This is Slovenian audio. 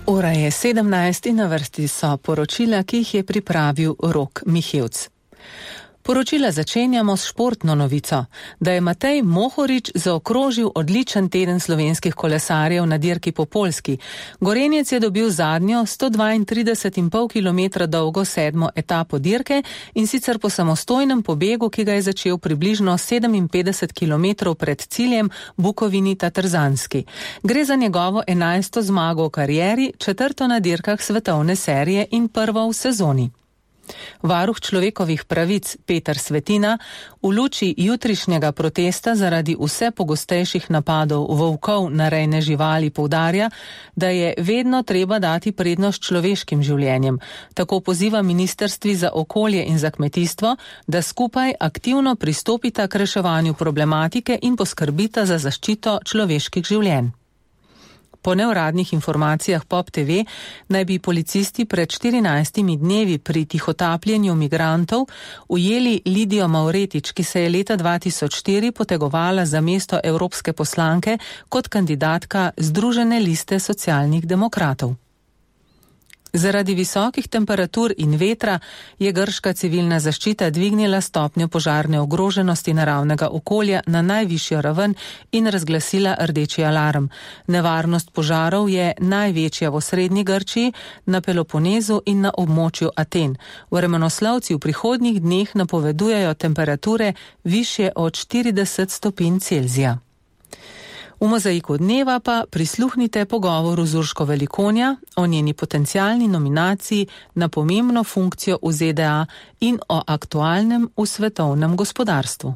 Ura je 17 in na vrsti so poročila, ki jih je pripravil Rok Mihevc. Poročila začenjamo s športno novico, da je Matej Mohorič zaokrožil odličen teden slovenskih kolesarjev na dirki po Poljski. Gorenjec je dobil zadnjo 132,5 km dolgo 7. etapo dirke in sicer po samostojnem pobegu, ki ga je začel približno 57 km pred ciljem Bukovini-Tatrzanski. Gre za njegovo 11. zmago v karieri, 4. na dirkah svetovne serije in prvo v sezoni. Varuh človekovih pravic Peter Svetina v luči jutrišnjega protesta zaradi vse pogostejših napadov volkov na rejne živali poudarja, da je vedno treba dati prednost človeškim življenjem. Tako poziva ministrstvi za okolje in za kmetijstvo, da skupaj aktivno pristopita k reševanju problematike in poskrbita za zaščito človeških življenj. Po neuradnih informacijah Pop TV naj bi policisti pred 14 dnevi pri tihotapljenju migrantov ujeli Lidijo Mavretič, ki se je leta 2004 potegovala za mesto evropske poslanke kot kandidatka Združene liste socialnih demokratov. Zaradi visokih temperatur in vetra je grška civilna zaščita dvignila stopnjo požarne ogroženosti naravnega okolja na najvišjo raven in razglasila rdeči alarm. Nevarnost požarov je največja v osrednji Grčiji, na Peloponezu in na območju Aten. Vremenoslovci v prihodnjih dneh napovedujejo temperature višje od 40 stopinj Celzija. V mozaiku dneva pa prisluhnite pogovoru z Urško Velikonja o njeni potencialni nominaciji na pomembno funkcijo v ZDA in o aktualnem v svetovnem gospodarstvu.